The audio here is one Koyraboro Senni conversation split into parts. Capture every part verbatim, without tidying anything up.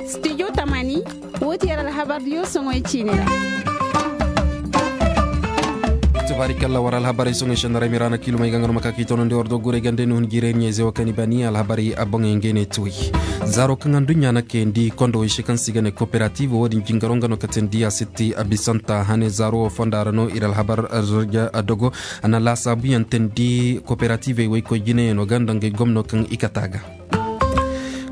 Studio tamani, woo ti yer alhabar diyo soŋoy ciini ra. Tubaari kalla war alhabarey soŋoy sendara miraana kiilumey ga nga no ma ka k'i tonandi war do guray gande ni hun jiray ɲeeze wo kaŋ i bani alhabarey a boŋey ngey ne tuwey. Zaaro kaŋ aduɲɲa na kayandi kondo wey se kaŋ se i ga ne kooperative wo- din jingaro nga no ka teendi a sitti a bisanta hane zaaro wo fonda ra no ir alhabar dogo. A na laasaabuyaŋ teendi kooperativey woykoy jinayaŋo ga nda ngey gomno kaŋ i kate a ga.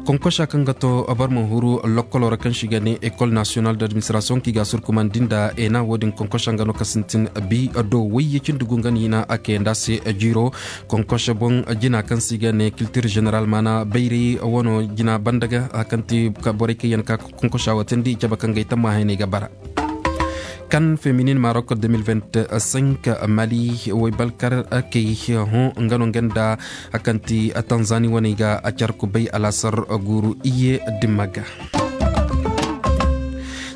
Konkosa kaŋ ga to boro ma huru lokkoloo ra kaŋ se i ga ne ekol nasiyonal d'administrasiyoŋ kaŋ i ga a surkumandi nda ena wo- din konkosa nga no ka sintin bi do wayye cindi gu nga no i na a kayandi a se jiiro. Konkosa boŋ jina kaŋ se i ga ne kiltir ženeral maana bayray wano jina banda ga a kaŋ ti borey kaŋ yaŋ ka konkosa wo teendi i cabe kaŋ ga ay tammahayney ga bara. Kan feminin marok de mil vingt cinq mali woy balkar kay hõ nga no nga nda a kaŋ ti tanzani waney ga a car kubay alaasar guuru iye dimma ga.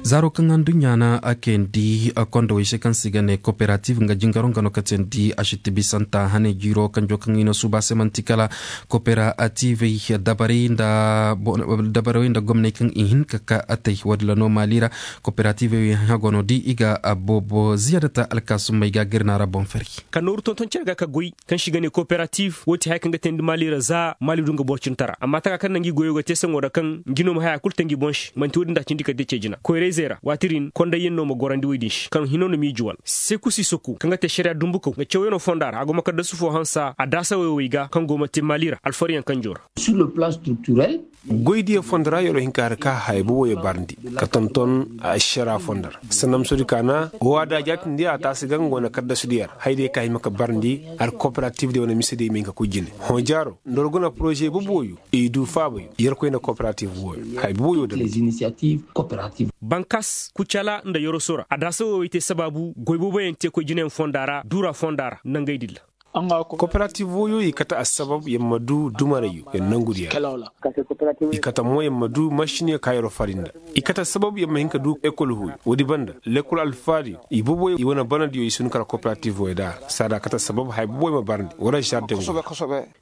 Zaaro kaŋ aduɲɲa na a kayandi kondowey se kaŋ se i ga ne kooperative nga jingaro nga no ka teendi a sitti bisanta hane jiiro kanjo kaŋ i na suuba se man'ti kala kooperativey dabarey nda gomney kaŋ i hin ka ka a tay wo- din ra no maali ra. Kooperativey hago no di i ga a boobo ziyaadata alkaasummey ga gir na ra boŋ fari. Ka nooru tonton cere ga ka goy kaŋ se i ga ne kooperative wo- ti haya kaŋ ga teendi maali ra za maali du nga boro cintara amma taka kaŋ na ngi goyo ga te saŋo ra kaŋ ngi no ma haya kulu te ngi boŋ se man'ti wo- din da a cindi ka te ce jina koyrayzey ra waati din kondayyaŋ no ma gorandi woy din se kaŋ hino na miiji wala seku sisoku kaŋ ga te ašariya dumbukaw nga cawyaŋo fonda ra a go ma kaddasu fo hansa a daasa woy woy ga kaŋ go ma te maali ra alfaryaŋ kanjo ra. Goydiyo fondo ra yoro hinka har ka haya boboyo barndi ka tonton ašara fondo ra sanda musodi ka na waada jaatindi a taasi ga nga wane kaddasudiyo ra hayadiyo ka hima ka barndi har kooperativdiyo wane misediyo i ma hin ka koy jine hõ jaaro nda war guna poroze boboyo i du faabayo yerkoy nda kooperativ wooyo haya boboyo da. Bankas kucala nda yoroso ra adaasa woyey te sabaabu goy boboyaŋ te koy jinayaŋ fonda ra duura fonda ra nangey dilla. Kooperative wooyo i kate assabab yer ma du dumarayyo yer nangudi yer. I kate mo yer ma du mašiniyo ka yer fari nda i kate assabab yer ma hin ka du ekol wooyo woodi banda lekol alfaadiyo i boboyo i wane banadiyo i si hin kara kooperative wooyo da saada kate assabab haya boboyo ma barandi wala žardeŋ.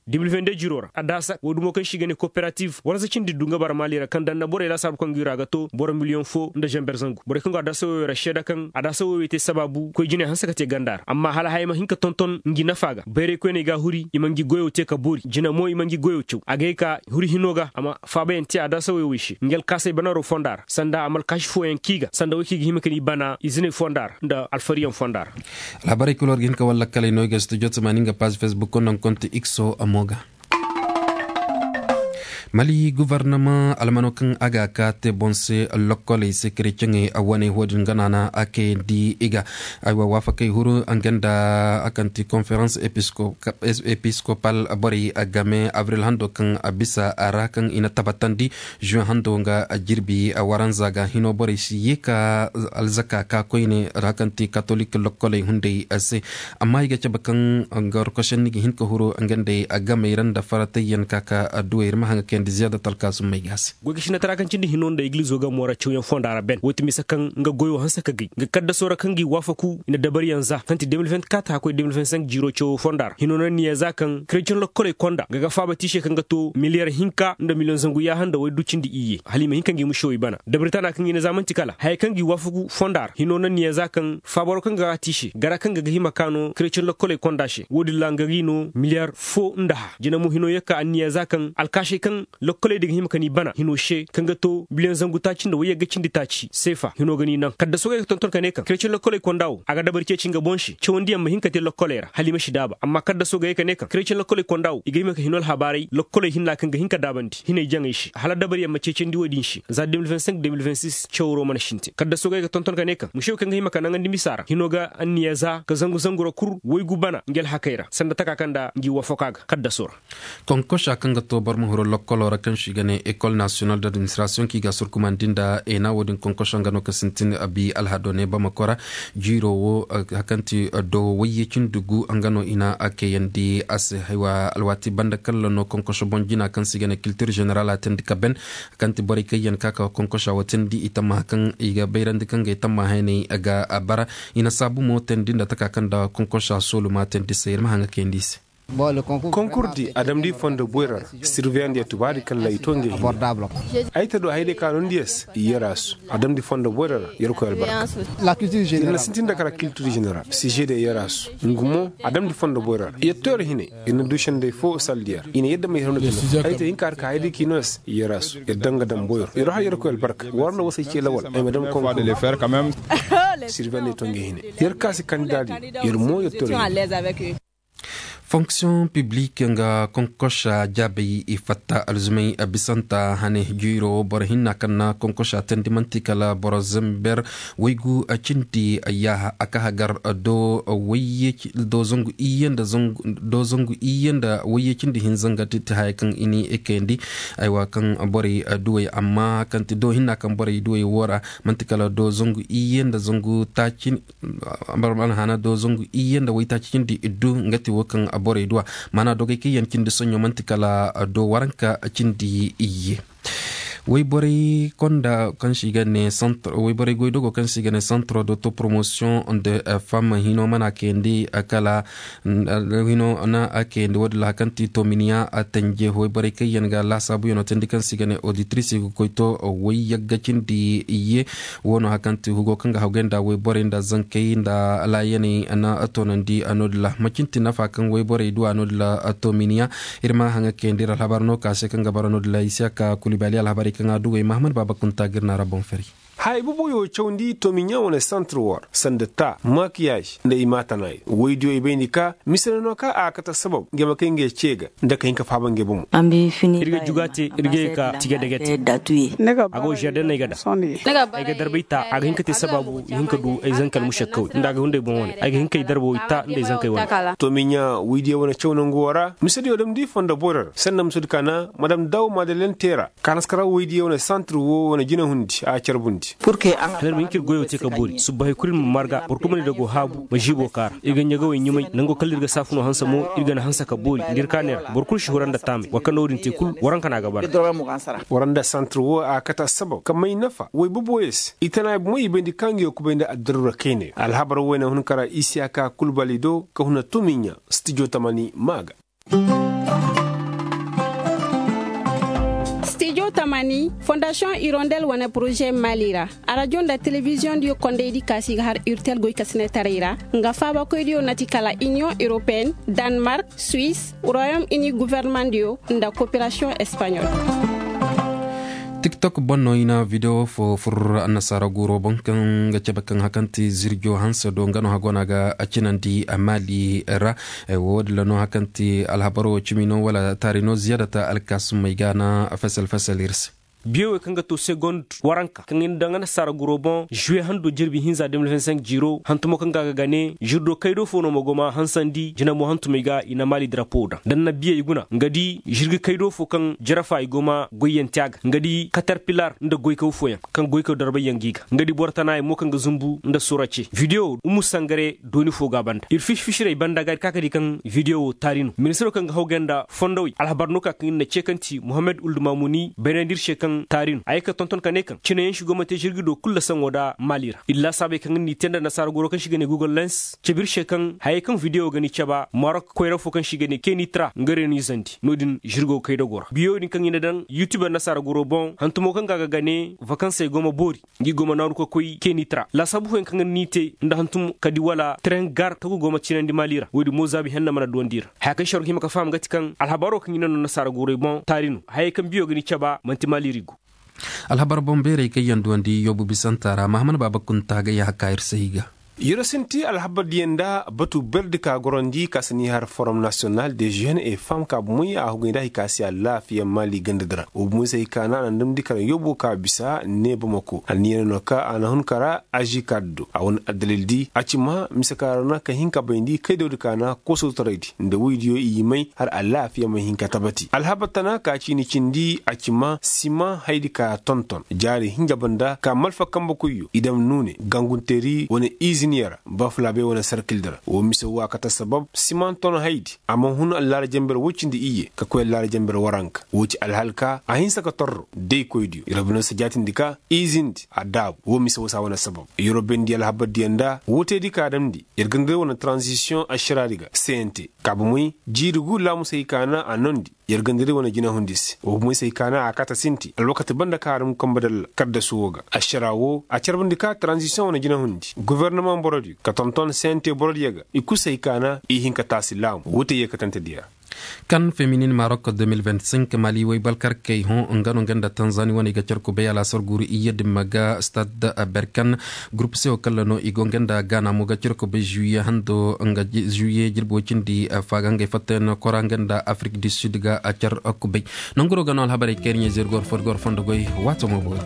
Dix mille vingt-deux jiro ra adaasa woo dumo kaŋ se i ga ne kooperative warza cindi du nga bara maali ra kaŋ daŋ na borey laasaabu kaŋ go i ra ga to boro miliyoŋ fo nda zamber zangu borey kaŋ go adaasa woyoo ra seeda kaŋ adaasa woyoo te sabaabu koy jinay hanse ka te ganda ra amma hala haya ma hin ka tonton ngi nafa ga bayray koyney ga a huri i ma ngi goyoo te ka boori jina mo i ma ngi goyoo caw a ga ye ka huri hinoo ga a ma faabayaŋ te adaasa woyoo wey se ngi alkaasey banaroo fonda ra sanda a ma alkaasi fooyaŋ kii ga sanda wey kaŋ i ga hima ka ni bana iziney fonda ra nda alfariyaŋ fonda ra. Alhabarey kul war ga hin ka war lakkaley no i ga studio tamaani nga paazi facebook nda nga konti ikso mo ga. Mali guvarnama almano kaŋ a ga a ka te boŋ se lokkoley se kereceŋey a wane wo-din gana na a kayandi i ga aywa waafakey huru nga nda a kaŋ ti konferans episkopal borey game abril hando kaŋ a bisa a ra kaŋ i na tabatandi juwe hando nga a jirbi a waranza ga hino borey si ye ka alzaka ka koyne ra kaŋ ti katolik lokkoley hunday se. Amma i ga cabe kaŋ nga warkosenni ga hin ka huru nga nday a gamey ra nda faratayyaŋ ka ka adduwey ir ma haŋ ga kayandi ziyaada talkaasummey ga se. Goy ga sinatara kaŋ cindi hino nda igilizo ga moora cawyaŋ fonda ra ben wo ti mise kaŋ nga goyo hanse ka gay nga kaddaso ra kaŋ ga i waafaku i na dabariyaŋ za kaŋ ti deux mille vingt-quatre haka koy deux mille vingt-cinq jiiro cawo fonda ra hino na niya za kaŋ kereceŋ lokkoley konda nga ga faaba tiise kaŋ ga to miliyar hinka nda miliyoŋ zangu yaaha nda waydu cindi iyye hala i ma hin ka ngi mušewey bana dabari tana kaŋ i na za man'ti kala haya kaŋ ga i waafaku fonda ra hino na niya za kaŋ faabaro kaŋ ga a tiise gara kaŋ ga ga hima ka no kereceŋ lokkoley konda se wo-din ra nga ga i no miliyar fo nda ha jina mo hino yee ka anniya za kaŋ alkaasey kaŋ lokkoley din ga hima ka ni bana hino se kaŋ ga to biliyoŋ zangu taaci nda wayyagga cindi taaci seefa hino ga ni naŋ kaddaso ga ay ga tonton ka ne kaŋ kereceŋ lokkoley konda wo a ga dabari ceeci nga boŋ se cawandiyaŋ ma hin ka te lokkoley ra hala i ma si daaba amma kaddaso ga ay ka ne kaŋ kereceŋ lokkoley konda wo i ga hima ka hino alhabaarey lokkoley hinna kaŋ ga hin ka daabandi hinay jaŋey se hala dabariyaŋ ma ceecandi wo-din se za deux mille vingt-cinq deux mille vingt-six cawro mana sintin kaddaso ga ay ga tonton ka ne kaŋ mušew kaŋ ga hima ka naŋandi misa ra hino ga anniya za ka zangu zangu ra kul waygu bana ngi alhakey ra sanda taka kaŋ nda ngi waafaka ga kaddaso ra. Konkosa kaŋ ga to boro ma huru lokkoloo ra kaŋ se i ga ne ekol nasiyonal d'administrasiyoŋ kaŋ i ga a surkumandi nda eena wo-din konkosa nga no ka sintin abi alhado ne bamako ra jiiroo wo kaŋ ti doo wayye cindi gu nga no i na a kayandi a se haywa alwaati banda kalla no konkosa boŋ jina kaŋ se i ga ne kiltir ženeral a teendi ka ben kaŋ ti borey kaŋ yaŋ ka ka konkosa wo teendi i tammaha kaŋ i ga bayrandi kaŋ ga ay tammahayney ga bara i na saabu mo teendi nda taka kaŋ nda konkosa sooluma teendi se ir ma haŋ ga kayandi i se. Konkur di a damndi fondo boyra ra. Sirveyandi ya tubaadi kalla i to nge hine. Ay ta du hayday ka nondi ya se i yar a su. A damndi fondo boyra ra. Yerkoy albarka. Ir na sintin da kara kiltir jeneral sije de yar a su. Ngu mo a damndi fondo boyra ra yetto yer hine. Ir na du senday fo saldiya ra i na yadda ma yer hawna kino. Ay ta hinka har ka hayday ka i no ya se i yar a su. Yer daŋ ga daŋ boyro yer har yerkoy albarka war na wasay ce lawal ay ma daŋ konkur. Sirveyandi ya to nge hine. Yer kaasi kandidaadi. Yer mo yer toro hine. Fonksiyoŋ piblik nga konkosa jaabay i fatta alzumay bisanta hane jiiro boro hinna kaŋ na konkosa tandi man'ti kala boro zamber waygu cindi yaaha a ka hagar do wayye do zangu iyye nda zangu do zangu iyye nda wayye cindi hinza nga ti haya kaŋ i ni kayandi. Aywa kaŋ borey duwey amma kaŋ ti do hinna kaŋ borey duwey wo ra man'ti kala do zangu iyye nda zangu taaci. Barmana hana do zangu iyye nda waytaaci cindi iddu nga ti wo kaŋ borey duwa. Maana dogey kaŋ yaŋ cindi soɲo man'ti kala do waranka cindi iyye. Wayborey konda kaŋ se i ga ne centre wayborey goydogo kaŋ se i ga ne centre de to promotion de femme hino mana kayandi kala hino na kayandi wo- din ra hari kaŋ ti tominiya tanje wayborey kaŋ yaŋ ga laasaabuyaŋo tandi kaŋ se i ga ne auditrice i ga koy to way yagga cindi iyye. Wo no hari kaŋ ti hugo kaŋ ga hawgay nda wayborey nda zankey nda laayaney na toonandi no- din ra macin ti nafa kaŋ wayborey duwa no- din ra tominiya. Ir ma haŋa kayandi ir alhabar no ka se kaŋ ga bara no- din ra isiyaka kulibali alhabarey kaŋ a dugey mahamad baaba kunta ga ir na ra boŋ fari. Haya boboyo cawndi tomiɲa wane santir war sanda ta makiyaj nda i maatanaayo woydiyo i bayndi ka mise no no ka a kate sabab ngey ma kay ngey ce ga nda ka hin ka faaba ngey bomo. Ir ga juga te ir ga ye ka tige dege te. A go žarden no ay ga da ay ga darbay ta a ga hin ka te sabaabu i hin ka du ay zanka almušakkawey nda a ga hunday boŋ wane ay ga hin ka ay darba wo i ta nda ay zankey wane. Tomiɲa woydiyo wane caw nangu wo ra misediyo damndi fondo boyro ra sanda misedi ka na madam daw madalen te ra. Kaanaskara woydiyo wane santir wo wane jinahundi a carbundi. Hala ir ma hin ka ir goyo te ka boori subba hay kulu ir ma marga boro kulu ma ne da go haabu ma žiibo kaara ir ga ɲagawey ɲumay nango kala ir ga saafunoo hanse mo ir ga na hanse ka boori nda ir kaaney ra boro kulu si hura nda taamay war kaŋ na wo-din te kulu waranka no a ga bara. War nda santir wo a kate assabab ka may nafa woy boboyo se i tana ay bomoy i bayndi ka ngiyo kubay nda addaruura kaynayo alhabar woy na hun kara isiyaka kulbali do ka huna tomiɲa stijo tamani ma ga. Stijo tamani fondasiyoŋ irondel wane poroze maali ra. Arajo nda telebiziyoŋ diyo kondaydi ka se i ga har irtel goykasinetaray ra nga faabakoydiyo na ti kala iniyoŋ europeyen, danmark, suwis, royom ini governemandiyo nda koperasiyoŋ espaɲol. Tiktok boŋ no i na videwo fo fur annasaara guuro boŋ kaŋ ga cabe kaŋ hakanti zirjo hanse do nga no hagona ga a cinandi a maali ra. Wo- din ra no hakanti alhabaro cimi no wala taari no ziyaadata alkaasumey ga na fesel fesel ir se. Biyowey kaŋ ga to segond waranka kaŋ i na daŋ annasaara guuro boŋ žuwe hando jirbi hinza de mil vingt cinq jiiro hantumo kaŋ ga a ga gane žirdo kaydo fo no ma go ma hansandi jinamo hantumey ga i na maali darapo daŋ da ni na biyey guna nga di žirga kaydo fo kaŋ jarafa i go ma goyyanti a ga nga di katarpilar nda goykaw fooyaŋ kaŋ goykaw darbayyaŋ ga i ga nga di boro tanaayey mo kaŋ ga zumbu nda sura ce videwo umu sangare dooni fo ga a banda ir fisi-fisirey banda ga ir ka ka di kaŋ videwo taari no ministiro kaŋ ga hawgay nda fondowey alhabar no ka kaŋ ir na ceekanti muhammad uldumamuni baynandi ir se kaŋ taari no a ye ka tonton ka ne kaŋ cineyaŋ si go ma te žirgi do kulu lasaŋo nda maali ra ir laasaabey kaŋ ir n'i te nda nasaara goro kaŋ si ga ne google lens cabe ir se kaŋ hayey kaŋ videwo ga ni caba marok koyra fo kaŋ si ga ne keni tra nga reenizandi no-din žirgo kaydago ra biyo din kaŋ i na daŋ yutube annasaara goro boŋ hantumo kaŋ ga a ga gane vakansey go ma boori ngi go ma naaru ka koy keni tra laasaabu fooyaŋ kaŋ ir n'i te nda hantum kadi wala tren gar tagu go ma cinandi maali ra wo-din mo zaabi henna mana duwandi i ra haya kaŋ se war ga hima ka faham ga ti kaŋ alhabaaro kaŋ i na no annasaara gorey boŋ taari no hayey kaŋ biyo ga ni caba man'ti maali ra i go. Alhabar boŋ beerey kaŋ yaŋ duwandi yoobu bisanta ra mahaman baaba kunta ga yaaha ka ir se i ga. Yer sinti alhabar diyaŋ nda batu berdi ka gorandi ka si ni har forom nasiyonal de žen e fam ka bumoy a hugay nda hay ka si alaafiya maali ganda dira wo bumoy se hay ka na a na damndi kara yoobo ka bisa ne bamako a na ni yaŋ no ka a na hun kara aži ka do a wane addalil di a ci ma mise ka ra na ka hin ka bayndi kay dawdi ka na koosowtaray di nda woydiyo i may har alaafiya ma hin ka tabati alhabar tana ka ciini cindi a ci ma sima haydi ka tonton jaari hinja banda ka malfa kambe koyyo i dam nuune gangunteri wane izi. Niya ra ba fulaabey wane sarkildi ra woo mise woo a kate assabab simanton haydi a ma hun allaara jenber woy cindi iyye ka koy allaara jenber waranka woo ci alhalka a hinsa ka torro daykoydiyo yer bine si jaatindi ka izindi a daabu woo mise woo si a wane assabab yer woo bayndi alhabardiyo nda woo teedi ka a damndi yer ganda day wane taranzisiyoŋ ašaraadi ga cnt ka bomey jiiri gu laamusey ka na a noondi yer ganda day wane jinahundi se woo bomey se hay ka na a kaate sinti alwakati banda ka a dam kambe dalla kaddasu woo ga ašaraa woo a carbandi ka taranzisiyoŋ wane jinahundi gofornamaŋ borodiyo ka tonton sente borodiyo ga i kul se hay ka na i hin ka taasi laamu woo te yeekatantediyo ra kan feminin marok de mil vingt cinq mali woy balkarkey hõ nga no nga nda tanzani wane i ga carku bay alaasar guuru iyye dimma ga stad berkan gurup se wo kalla no i go nga nda gaana mo ga carku bay žuwiye hando nga žuwiye jirbi woy cindi faaga ngey fattayaŋ kora nga nda afrik du sud ga car kubay nanguro ga no alhabarey kayriɲey zirgor fodgor fondo goy waato mo boori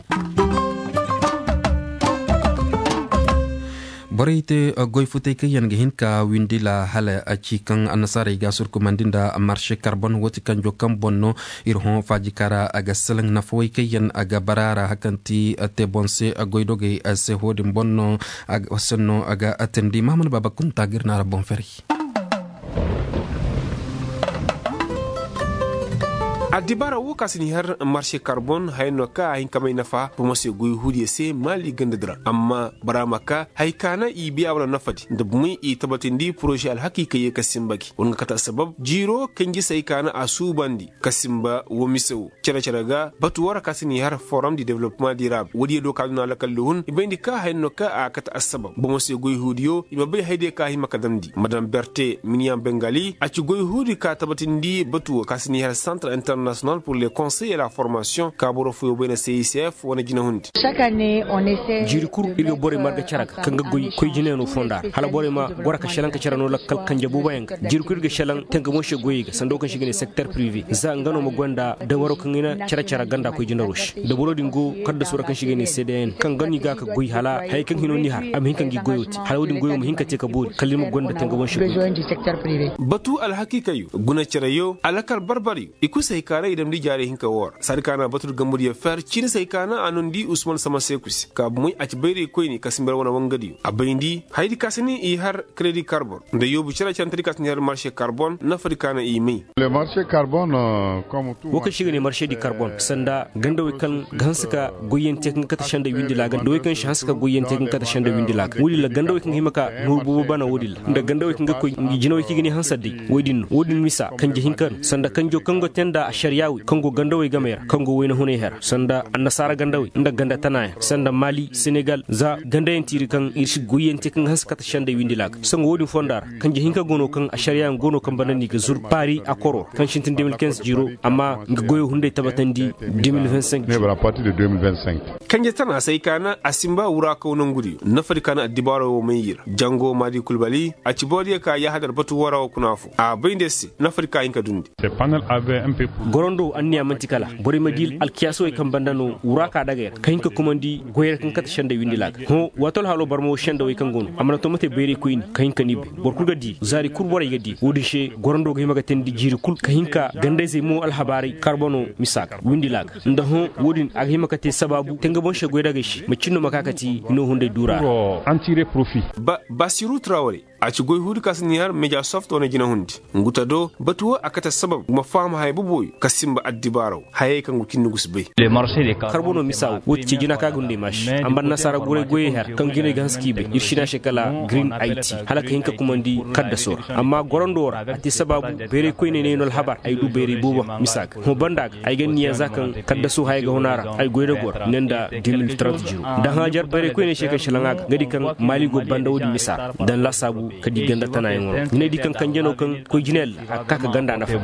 borey te goy futey kaŋ yaŋ ga hin ka windi la hala a ci kaŋ annasaarey ga surkumandi nda marše karbon woo ti kanjo kaŋ boŋ no ir hõ faajika ra a ga salaŋ nafawey kaŋ yaŋ a ga bara a ra hakaŋ ti te boŋ se goydogey se hoodin boŋ no a ga senno a ga teendi mahamad baaba kunta ga ir naara boŋ ferey addibaara woo ka si ni har marše karbon haya no ka a hin ka may nafa bomo se goy huudiyo se maali gandadi ra amma baraama ka haya ka na i biya wane nafadi nda bomey i tabatindi poroze alhakiikey ye ka sinba gi war nga kate assabab jiiro kanjisey ka na a suubandi ka sinba woo mise woo cere-cere ga batu woo ra ka si ni har forom di development dirab woodiyo do ka duna lakalli hun i bayndi ka haya no ka a kate assabab bomo se goy huudiyo i ma bay hayadiyo ka hima ka damndi madam berte miniyaŋ bengali a ci goy huudi ka tabatindi batu woo ka si ni har centre international pour le conseil et la formation ka boro foyoo bay na cicf wane jinahundi jiiri kul ir ga borey marga cere ga kaŋ ga goy koy jinayano fonda ra hala borey ma goro ka šelaŋ ka cere no lakkal kanje booboyaŋ ga jiiri kul ir ga šelaŋ tenga boŋ se goyey ga sanda woo kaŋ se i ga ne secteur privé za nga no ma goy nda dabaroo kaŋ ga hina cere-cere ganda koy jinaroo se dabaroo din go kaddasu ra kaŋ se i ga ne cdn kaŋ ga no i ga ka goy hala hayey kaŋ hino ni har a ma hin ka ngi goyoo te hala woo din goyoo ma hin ka te ka boori kala ir ma goy nda tenga boŋ se goy batu alhakiikey guna cereyoo alakal barbaryo i kul se hay ka na i damndi jaari hinka woo ra saadi ka na batu nda gambudiyo fer ciini se hay ka na a noondi usman sama seeku se ka bomey a ci bayraykoyne ka sinba yer wane wangadiyo a bayndi hayadi ka si ni i har kredi karbon nda yoobu cere cantadi ka si ni har marše karbon nafadi ka na i may woo kaŋ se i ga ne marše di karbon sanda gandawey kaŋ ga hanse ka goyyaŋ te kaŋ ga kate senda windi laaga nda wey kaŋ si hanse ka goyyaŋ te kaŋ ga kate senda windi laaga woodin ra gandawey kaŋ ga hima ka nooru boobo bana woodin ra nda gandawey kaŋ ga koy jinawey kaŋ i ga ne hanse adday woy din no woodin misa kanje hinka no sanda kanjo kaŋ go te nda ašariyaawey kaŋ go gandawey gamey ra kaŋ go wayna hunay hera sanda annasaara gandawey nda ganda tanayaŋ sanda mali senegal za gandayaŋ tiiri kaŋ ir si goyyaŋ te kaŋ ga hanse kate sendey windi laaga sango woodin fonda ra kanje hinka go no kaŋ ašariyayaŋ go no kaŋ banda no i ga zur paari akoro ra kaŋ sintin deux mille quinze jiiro amma nga goyo hunday tabatandi deux mille vingt cinq jiiro. Kanje tana se ay ka na a simba wuraakaw nangudiyo nafadi ka na addibaaro wo may i ra jango maadi kulbali a ci boodiyo ka yaahadar batu woo ra wo kuna fo a bay nda yer se nafadi ka hin ka dundi. Gorando anniya man'ti kala borey ma di alkiyaasawey kaŋ banda no wuraaka dagey ra ka hin ka kumandi goyey ra kaŋ kate sendey windi laaga hõ waato alhaaloo barma wo sendawey kaŋ go no a mana to mate bayraykoyni ka hin ka ni bay boro kul ga di zaari kul borey ga di woodin se gorando ga hima ga teendi jiiri kul ka hin ka gandayzey mo alhabaaray karbono misa ga windi laaga nda hõ woodin a ga hima ka te sabaabu te nga boŋ se goydagey se macin no ma ka ka ti hino hunday duura ra. Basiru traware a ci goy huudi ka si ni har media soft wane jinahundi. Nguta do batu wo a kate sabab ma faham haya boboyo ka simba addibaaraw hayey kaŋ go cindi gu si bay. Karbono misa wo ti ci jina ka ga hunday maaši amma nasaara guray goyey har kaŋ jinay ga hanse k'i bay ir si ne a se kala green it hala ka hin ka kumandi kaddaso ra amma gorando ra a te sabaabu bayray koyney no ay no alhabar ay du bayray boobo misa ga hõ banda ga ay ga anniya za kaŋ kaddaso haya ga hun a ra ay goy da gor ne nda deux mille trente jiro da hã jar bayray koyney se kaŋ salaŋ a ga nga di kaŋ maali go banda woodin misa ra daŋ laasaabu ka di ganda tanayaŋo ra ni ne di kaŋ kanje no kaŋ koy jinay alla a ga ka ka ganda nafa.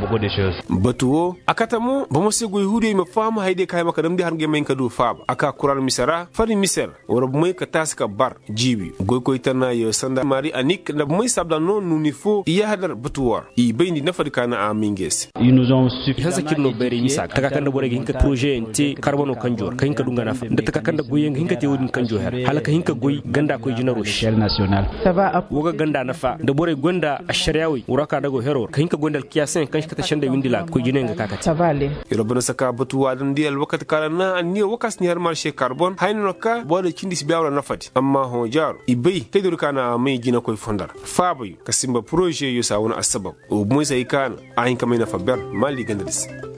Batu wo a kate mo bomo se goy huudiyo i ma faham hayadiyo ka hima ka damndi har ngey ma hin ka du faaba a ka kuraana mise ra fari mise ra war bomey ka taasi ka bar jiibi goykoy tana yo sanda mari anik nda bomey saabda no nuuni fo i yaahadar batu wo ra i bayndi nafadi ka na a may ngey se. I hanse ka ir no bayray misa ga taka kaŋ nda borey ga hin ka porozeyaŋ te karbono kanjo ra ka hin ka du nga nafa nda taka kaŋ nda goyyaŋ ga hin ka te woodin kanjo her hala ka hin ka goy ganda koy jinaro se. Wo ga ganda nafa nda borey gonda ašariyaawey wura ka dago hero ra ka hin ka gonda alkiyaasayaŋ kaŋ si kate sendey windi laaga koy jinayaŋ ga ka. Iroo banda saka batu waadandi alwakati kaŋ ra na anniya woo kaŋ si ni har marše karbon hayni no ka boro da cindi si bay a wala nafadi amma hõ jaaro i bay kay dori ka na a may jinakoy fonda ra faabayo ka simba porožeyo se a wane assabab. Wo bumoy se hay ka na a hin ka may nafa ber maali ganda di se.